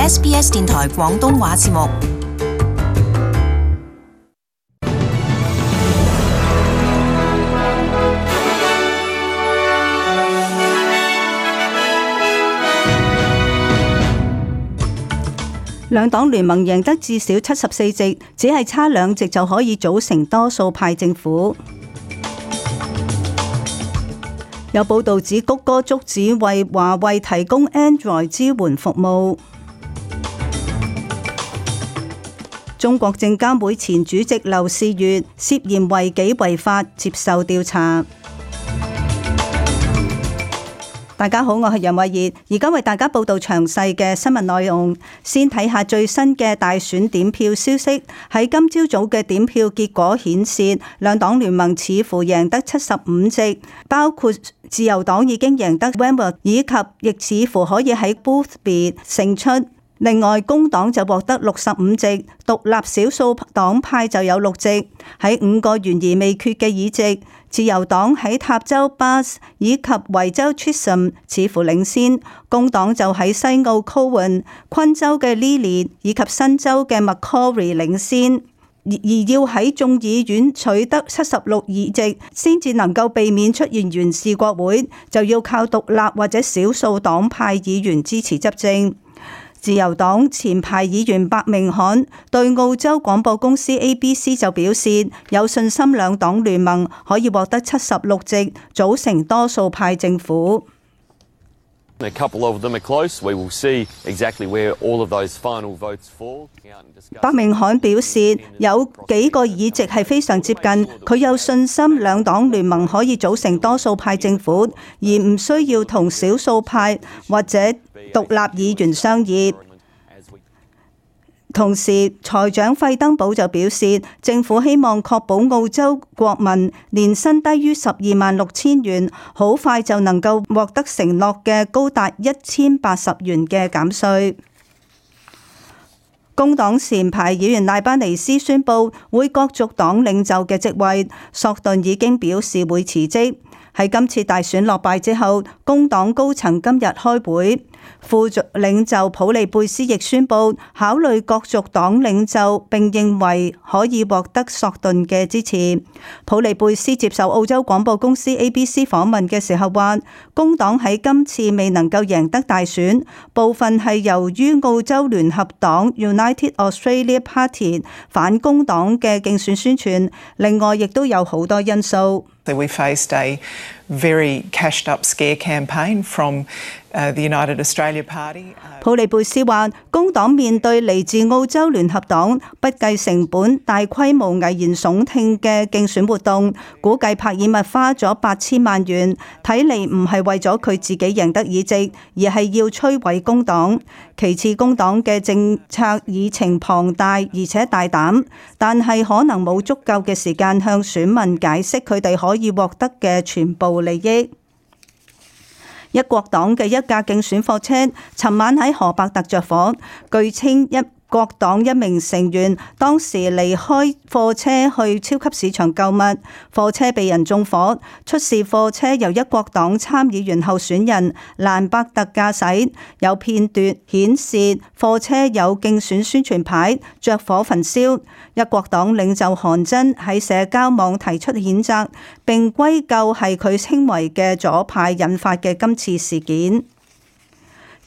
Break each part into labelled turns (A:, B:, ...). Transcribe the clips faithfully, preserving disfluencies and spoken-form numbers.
A: S B S 電台廣東話節目。
B: 兩黨聯盟贏得至少七十四席，只係差兩席就可以組成多數派政府。有報道指谷歌終止為華為提供 Android 支援服務。中國證監會前主席劉士余涉嫌違紀違法接受調查。大家好，我係楊慧儀，而家為大家報道詳細嘅新聞內容。先睇下最新嘅大選點票消息。喺今朝早嘅點票結果顯示，兩黨聯盟似乎贏得七十五席，包括自由黨已經贏得 Wentworth， 以及亦似乎可以喺 Boothby 勝出。另外，工黨就獲得六十五席，獨立少數黨派就有六席。喺五個懸而未決嘅議席，自由黨喺塔州 Bass 以及維州 Chisholm 似乎領先，工黨就喺西澳 Cowan、昆州嘅 Lily 以及新州嘅 Macquarie 領先。而要喺眾議院取得七十六議席，先至能夠避免出現懸峙國會，就要靠獨立或者少數黨派議員支持執政。自由黨前排議員白明翰對澳洲廣播公司 A B C 就表示有信心兩黨聯盟可以獲得七十六席，組成多數派政府。
C: A couple of them are close. We will see exactly where all of those final votes fall.
B: 白明翰表示有幾個議席係非常接近，佢有信心兩黨聯盟可以組成多數派政府，而唔需要同少數派或者獨立議員商議。同時，財長費登堡就表示，政府希望確保澳洲國民年薪低於十二萬六千元，好快就能夠獲得承諾嘅高達一千八十元嘅減稅。工黨前排議員賴班尼斯宣布會角逐黨領袖嘅職位，索頓已經表示會辭職。喺今次大選落敗之後，工黨高層今日開會。副領袖普利貝斯亦宣布考慮角逐黨領袖，並認為可以獲得索頓嘅支持。普利貝斯接受澳洲廣播公司 A B C 訪問嘅時候話，工黨喺今次未能夠贏得大選，部分係由於澳洲聯合黨 United Australia Party 反工黨嘅競選宣傳，另外亦都有好多因素。
D: We faced a very cashed up scare campaign from uh, the United Australia Party.
B: 普利貝斯話，工黨面對嚟自澳洲聯合黨不計成本、大規模危言聳聽嘅競選活動，估計帕爾默花咗八千萬元，睇嚟唔係為咗佢自己贏得議席，而係要摧毀工黨。其次，工黨嘅政策議程龐大而且大膽，但係可能冇足夠嘅時間向選民解釋佢哋可以獲得嘅全部利益。一國黨嘅一架競選貨車尋晚喺荷伯特着火，據稱一國黨一名成員當時離開貨車去超級市場購物，貨車被人縱火。出事貨車由一國黨參議員候選人蘭伯特駕駛，有片段顯示貨車有競選宣傳牌着火焚燒。一國黨領袖韓真喺社交網提出譴責，並歸咎係佢稱為嘅左派引發嘅今次事件。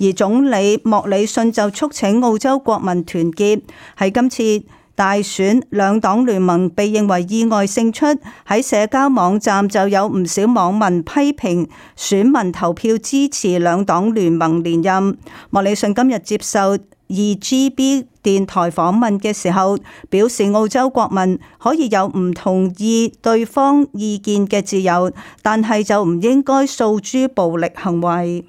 B: 而總理莫里遜就促請澳洲國民團結。喺今次大選，兩黨聯盟被認為意外勝出。喺社交網站就有唔少網民批評選民投票支持兩黨聯盟連任。莫里遜今日接受二 G B 電台訪問嘅時候，表示澳洲國民可以有唔同意對方意見嘅自由，但係就唔應該訴諸暴力行為。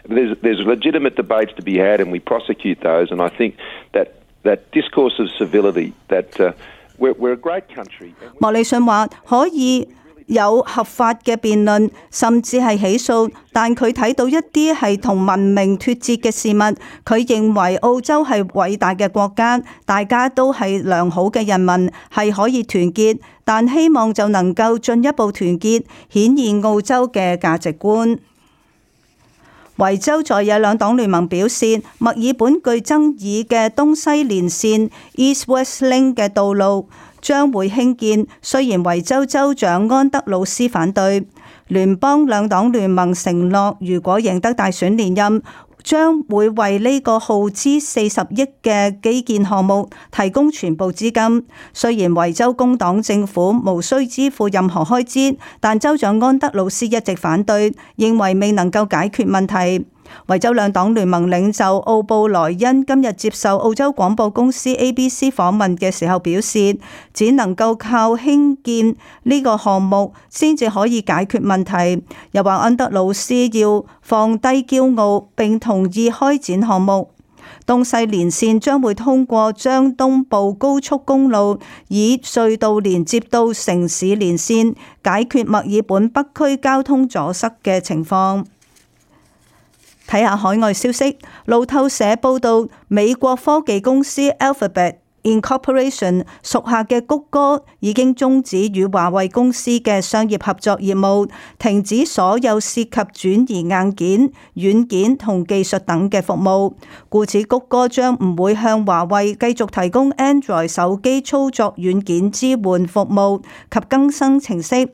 E: There's, there's legitimate debates to be had, and we prosecute those. And I think that that discourse of civility, that uh, we're, we're a great country.
B: 莫里遜話可以有合法嘅辯論，甚至係起訴，但佢睇到一啲係同文明脫節嘅事物。佢認為澳洲係偉大嘅國家，大家都係良好嘅人民，係可以團結，但希望就能夠進一步團結，顯現澳洲嘅價值觀。維州在野兩黨聯盟表示，墨爾本具爭議嘅東西連線 East-West Link 嘅道路將會興建，雖然維州州長安德魯斯反對。聯邦兩黨聯盟承諾，如果贏得大選連任，將會為呢個耗資四十億嘅基建項目提供全部資金。雖然維州工黨政府無需支付任何開支，但州長安德魯斯一直反對，認為未能夠解決問題。維州兩黨聯盟領袖奧布萊恩今日接受澳洲廣播公司 A B C 訪問嘅時候表示，只能夠靠興建呢個項目先至可以解決問題。又話安德魯斯要放低驕傲並同意開展項目。東西連線將會通過將東部高速公路以隧道連接到城市連線，解決墨爾本北區交通阻塞嘅情況。睇下海外消息，路透社報道，美國科技公司 Alphabet Incorporation 屬下嘅谷歌已經終止與華為公司嘅商業合作業務，停止所有涉及轉移硬件、軟件同技術等嘅服務。故此，谷歌將唔會向華為繼續提供 Android 手機操作軟件支援服務及更新程式。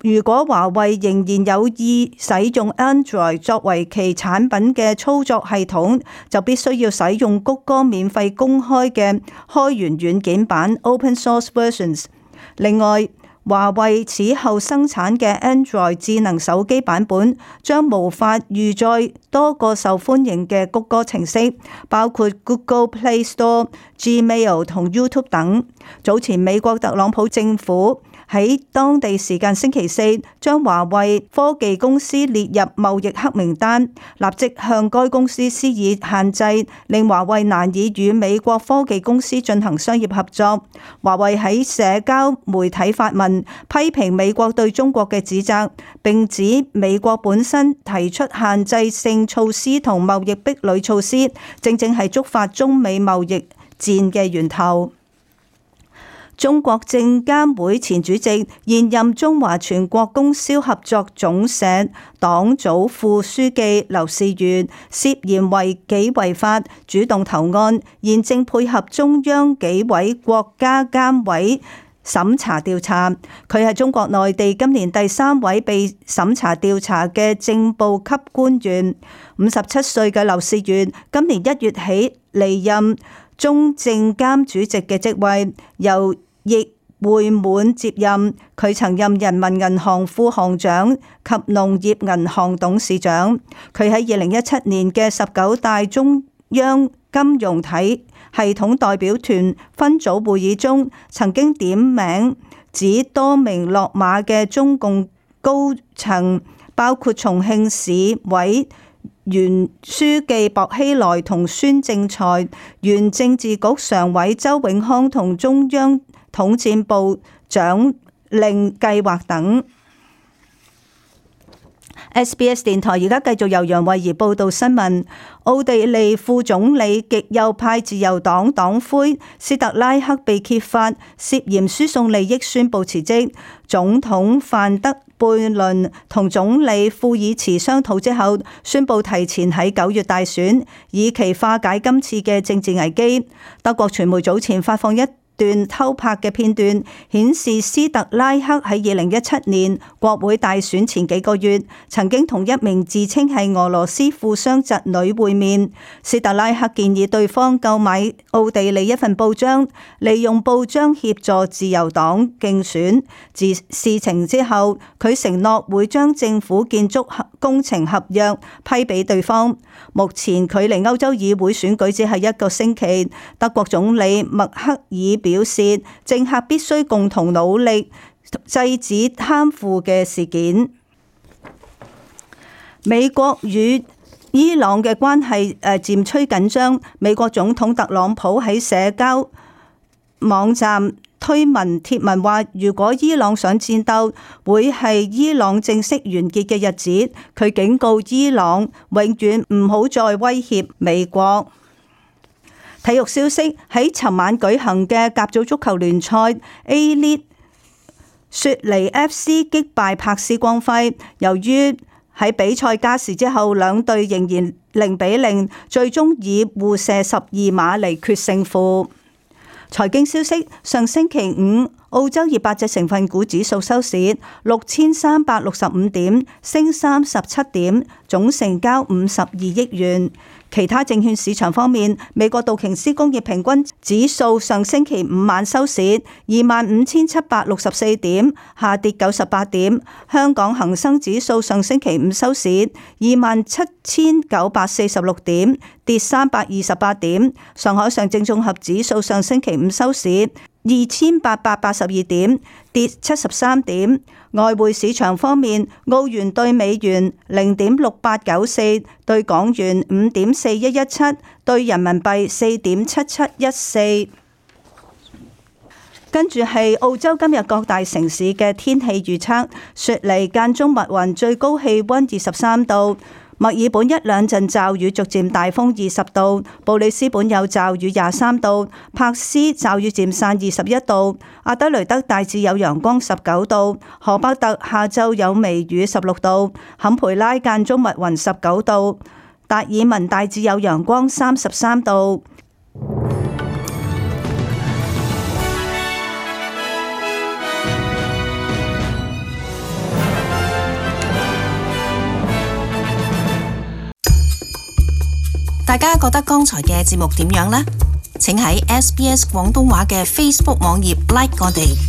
B: 如果華為仍然有意使用 Android 作為其產品嘅操作系統，就必須要使用谷歌免費公開嘅開源軟件版 Open Source Versions。另外，華為此後生產嘅 Android 智能手機版本將無法預載多個受歡迎嘅谷歌程式，包括 Google Play Store、Gmail 同 YouTube 等。早前美國特朗普政府喺當地時間星期四將華為科技公司列入貿易黑名單，立即向該公司施以限制，令華為難以與美國科技公司進行商業合作。華為喺社交媒體發文批評美國對中國嘅指責，並指美國本身提出限制性措施同貿易壁壘措施，正正係觸發中美貿易戰嘅源頭。中國證監會前主席、現任中華全國供銷合作總社黨組副書記劉士元涉嫌違紀違法，主動投案，現正配合中央紀委國家監委審查調查。佢係中國內地今年第三位被審查調查嘅正部級官員。五十七歲嘅劉士元今年一月起離任中證監主席嘅職位，由易會滿接任。佢曾任人民銀行副行長及農業銀行董事長。佢喺二零一七年嘅十九大中央金融體系統代表團分組會議中，曾經點名指多名落馬嘅中共高層，包括重慶市委原書記薄熙來同孫政才、原政治局常委周永康同中央統戰部長令計劃等。S B S 電台而家繼續由楊慧儀報道新聞。奧地利副總理極右派自由黨黨魁斯特拉克被揭發涉嫌輸送利益，宣布辭職。總統范德貝倫同總理庫爾茨商討之後，宣布提前喺九月大選，以期化解今次嘅政治危機。德國傳媒早前發放一段偷拍嘅片段，顯示斯特拉克喺二零一七年國會大選前幾個月，曾經同一名自稱係俄羅斯富商侄女會面。斯特拉克建議對方購買奧地利一份報章，利用報章協助自由黨競選。自事情之後，佢承諾會將政府建築工程合約批俾對方。目前距離歐洲議會選舉只係一個星期，德國總理默克爾表示，政客必須共同努力制止貪腐嘅事件。美國與伊朗嘅關係誒漸趨緊張。美國總統特朗普喺社交網站推文貼文話，如果伊朗想戰鬥，會係伊朗正式完結嘅日子。佢警告伊朗永遠唔好再威脅美國。體育消息，喺尋晚舉行嘅甲組足球聯賽 A-League， 雪梨 F C 擊敗柏斯光輝。由於喺比賽加時之後，兩隊仍然零比零，最終以互射十二碼嚟決勝負。財經消息：上星期五，澳洲二百隻成分股指數收市六千三百六十五點，升三十七點，總成交五十二億元。其他證券市場方面，美國道瓊斯工業平均指數上星期五晚收市二萬五千七百六十四點，下跌九十八點。香港恒生指數上星期五收市二萬七千九百四十六點，跌三百二十八點。上海上證綜合指數上星期五收市二千八百八十二點，跌七十三點。外匯市場方面，澳元兌美元零點六八九四，兌港元五點四一一七，兌人民幣四點七七一四。跟住係澳洲今日各大城市嘅天氣預測：雪梨間中密雲，最高氣溫二十三度。墨爾本一兩陣驟雨，逐漸大風二十度；布里斯本有驟雨廿三度；柏斯驟雨漸散二十一度；阿德雷德大致有陽光十九度；荷伯特下晝有微雨十六度；坎培拉間中密雲十九度；達爾文大致有陽光三十三度。
A: 大家覺得剛才嘅節目點樣呢？請喺 S B S 廣東話嘅 Facebook 網頁 like 我哋。